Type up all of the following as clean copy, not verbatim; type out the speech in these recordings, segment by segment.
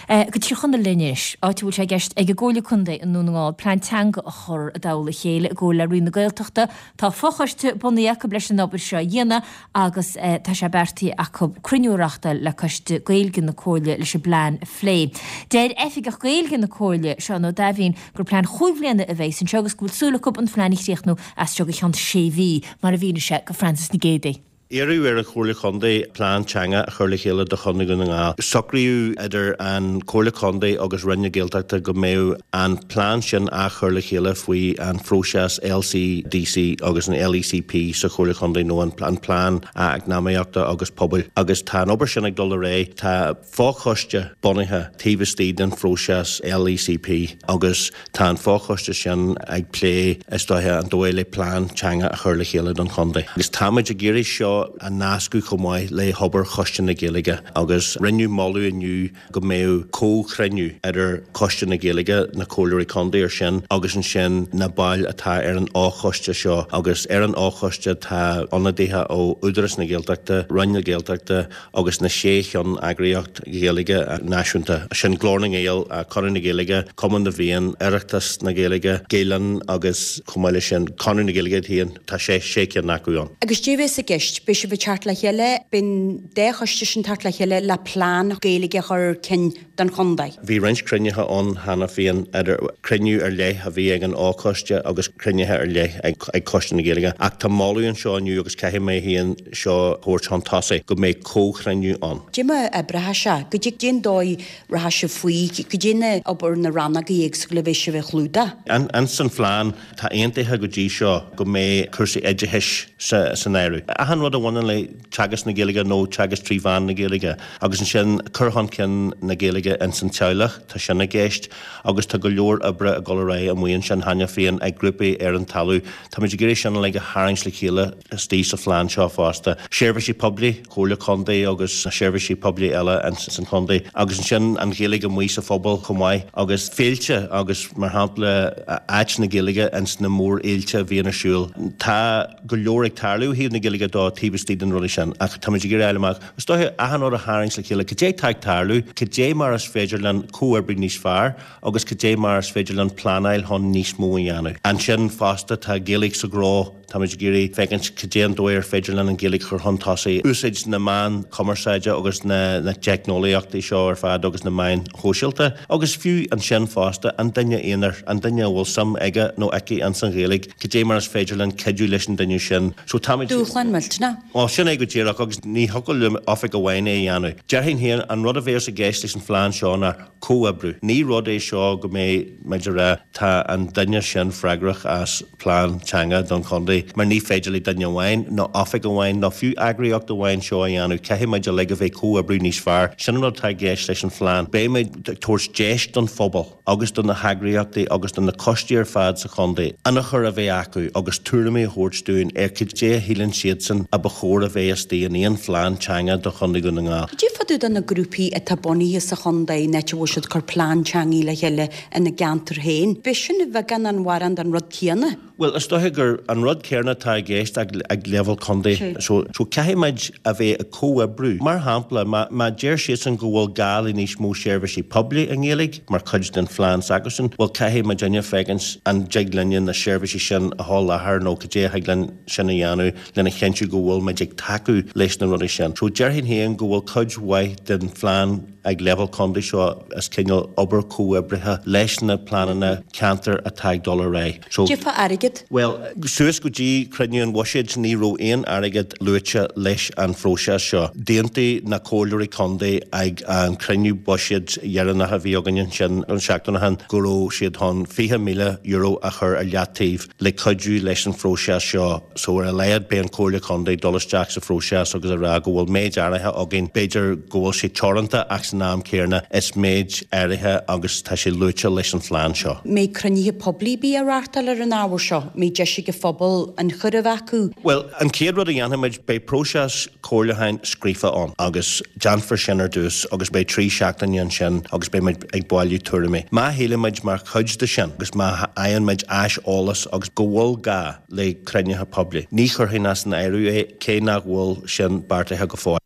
Go Tír Chonaill linn anois, áit a bhfuil sé i gceist ag an gComhairle Contae i nDún na nGall plean teanga a chur i dtoll a chéile i gcomhar le Roinn na Gaeltachta. Tá fochoiste bunaithe acu leis an obair seo a dhéanamh agus tá sé beartaithe acu cruinniú a reáchtáil le Coiste Gaeilge na Comhairle leis an bplean a phlé. Deir Oifigeach Gaeilge na Comhairle, Seán Ó Daimhín, gur plean chúig bhliana a bheas anseo agus go bhfuil súil acu an phlean a chríochnú as seo go ceann sé mhí, mar a mhínigh sé go Francis Nic Géadaigh. Iarradh ar an Chomhairle Chontae plean teanga a chur le chéile do Chontae Dhún na nGall. Socraíodh idir an Chomhairle Contae agus Roinn na Gaeltachta go mbeadh an plean sin á chur le chéile faoi an phróiseas LCDC agus an LECP sa Chomhairle Chontae nó an Plean Eacnamaíochta agus Pobail agus tá an obair sin ag dul ar aghaidh. Tá. Fochoiste bunaithe taobh istigh den phróiseas LECP agus tá an fochoiste sin ag plé, is dóiche, an dóigh le plean teanga a chur le chéile don chontae. Agus táimid ag iarraidh seo a nascadh chomh maith le hobair Choiste na Gaeilge agus rinneadh moladh inniu go mbeadh comhchruinniú idir Coiste na Gaeilge, na Comhairleoirí Contae ar sin agus ansin na baill atá ar an fhochoiste seo agus ar an fhochoiste tá ionadaithe ó Údarás na Gaeltachta, Roinn na Gaeltachta, agus na sé cheann-eagraíocht Ghaeilge náisiúnta, sin Glór na nGael, Conradh na Gaeilge, Cumann na bhFiann, Oireachtas na Gaeilge, Gael Linn agus chomh maith leis sin Conradh na Gaeilge iad féin, tá sé sé cinn acu ann. Agus caidé a bheas i gceist, beidh sibh ag teacht le chéile, beidh an dá choiste sin teacht le chéile le plean Gaeilge a chur chun cinn don chontae. Bhí roinnt cruinnithe ann cheana féin, idir cruinniú ar leith a bhí ag an fhochoiste agus cruinnithe ar leith ag Coiste na Gaeilge ach tá moladh anseo inniu agus caithfidh mé féin seo a thabhairt chun tosaigh, go mbeidh comhchruinniú ann. Caidé mar a oibreoidh sé, caidé an dóigh rachaidh sibh faoi, caidé na obair na rannógaí éagsúla a bheidh sibh a chlúdach. Ins an phlean, tá aontaithe go dtí seo go mbeidh cúrsaí oideachais san áireamh. Achan rud a bhaineann le teagasc na Gaeilge nó teagasc trí mheán na Gaeilge agus ansin cur chun cinn na Gaeilge ins an teaghlach, tá sin i gceist agus tá go leor oibre ag dul ar aghaidh amuigh ansin cheana féin ag grúpaí ar an talamh. Táimid ag iarraidh sin uilig a tharraingt le chéile istigh sa phlean seo fosta. Seirbhísí poiblí, Comhairle Contae agus na seirbhísí poiblí eile ins an chontae agus ansin an Ghaeilge amuigh sa phobal chomh maith agus féilte agus mar shampla áit na Gaeilge ins na mórfhéilte a bhíonn ar siúl. Tá go leor ag tarlú ó thaobh na Gaeilge de taobh istigh de na rudaí sin ach táimid ag iarraidh a fháil amach, is dóiche, achan rud a tharraingt le chéile, cad é atá ag tarlú, cad é mar is féidir linn comhoibriú níos fearr agus cad é mar is féidir linn pleanáil chun níos mó a dhéanamh. Ansin fosta tá Gaeilge sa ghnó, táimid ag iarraidh féachaint cad é an dóigh ar féidir linn an Ghaeilge a chur chun tosaigh, úsáid na meán cumarsáide agus na teicneolaíochtaí seo ar fad agus na meáin shóisialta agus fiú ansin fosta an duine aonair, an duine a bhfuil suim aige nó aici ins an Ghaeilge, cad é mar is féidir linn cuidiú leis an duine sin. So táimid. Dúshlán millteanach. Bhuel, sin é go díreach agus ní thiocfadh le oifig amháin é a dhéanamh. Déarfainn féin, an rud a bheas i gceist leis an phlean seo ná comhoibriú. Ní rud é seo go mbeidh muid a rá tá an duine sin freagrach as plean teanga don chontae mar ní féidir le duine amháin nó oifig amháin nó fiú eagraíocht amháin seo a dhéanamh. Caithfidh muid uilig a bheith ag comhoibriú níos fearr. Sin an rud atá i gceist leis an phlean. Beidh muid ag tabhairt deis don phobal. agus do na heagraíochtaí agus do na coistí ar fad sa chontae ionchur a bheith acu agus tuairimí a thabhairt dúinn ar cad é a shíleann siadsan a ba chóir a bheith istigh in aon phlean teanga do Chontae Dhún na nGall. Cad é fá dtaobh de na grúpaí atá bunaithe sa chontae an áit a bhfuil siad ag cur plean teangaí le chéile ina gceantar féin? B'é sin a bheagán nó a mhórán den rud céanna. Bhuel, is dóiche gur an rud céanna atá i gceist ag leibhéal contae. So, so caithfidh muid a bheith ag comhoibriú. Mar shampla, má, má deir siadsan go bhfuil gá le níos mó seirbhísí poiblí i nGaeilge mar chuid den phlean s'acusan, bhuel caithfidh muidinne féachaint an dtig linne na seirbhísí sin a sholáthar nó cad é a thig linn sin a dhéanamh lena chinntiú go bhfuil muid ag tacú leis na rudaí sin. So déarfainn féin go bhfuil cuid mhaith den phlean ag leibhéal contae seo is cineál obair chomhoibrithe leis na pleananna ceantair atá ag dul ar aghaidh. So. Cad é fá airgead? Bhuel, suas go dtí cruinniú an bhuiséid ní raibh aon airgead luaite leis an phróiseas seo. D'aontaigh na comhairleoirí contae ag an chruinniú buiséid dheireanach a bhí againn ansin an seachtain ó shin go raibh siad chun €20,000 a chur ar leataobh le cuidiú leis an phróiseas seo. So ar a laghad beidh an Comhairle Contae ag dul isteach sa phróiseas agus a rá go bhfuil méid áirithe againn, b'fhéidir go bhfuil sé teoranta ach san am céanna is méid áirithe agus tá sé luaite leis an phlean seo. mbeidh cruinnithe poiblí ar bith á reáchtáil ar an ábhar seo? mbeidh deis ag an phobal ionchur a bheith acu? Bhuel, an chéad rud a dhéanfaimid, beidh próiseas comhairliúcháin scríofa ann agus déanfar sin ar dtús agus beidh 3 seachtaine ansin agus beidh muid ag bailiú tuairimí. Má shílimid mar chuid de sin agus má fhaigheann muid aiseolas agus go bhfuil gá le cruinnithe poiblí, ní chuirfinn as an áireamh é cé nach bhfuil sin beartaithe go fóill.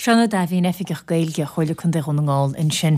Seán Ó Daimhín, Oifigeach Gaeilge Chomhairle Contae Dhún na nGall ansin.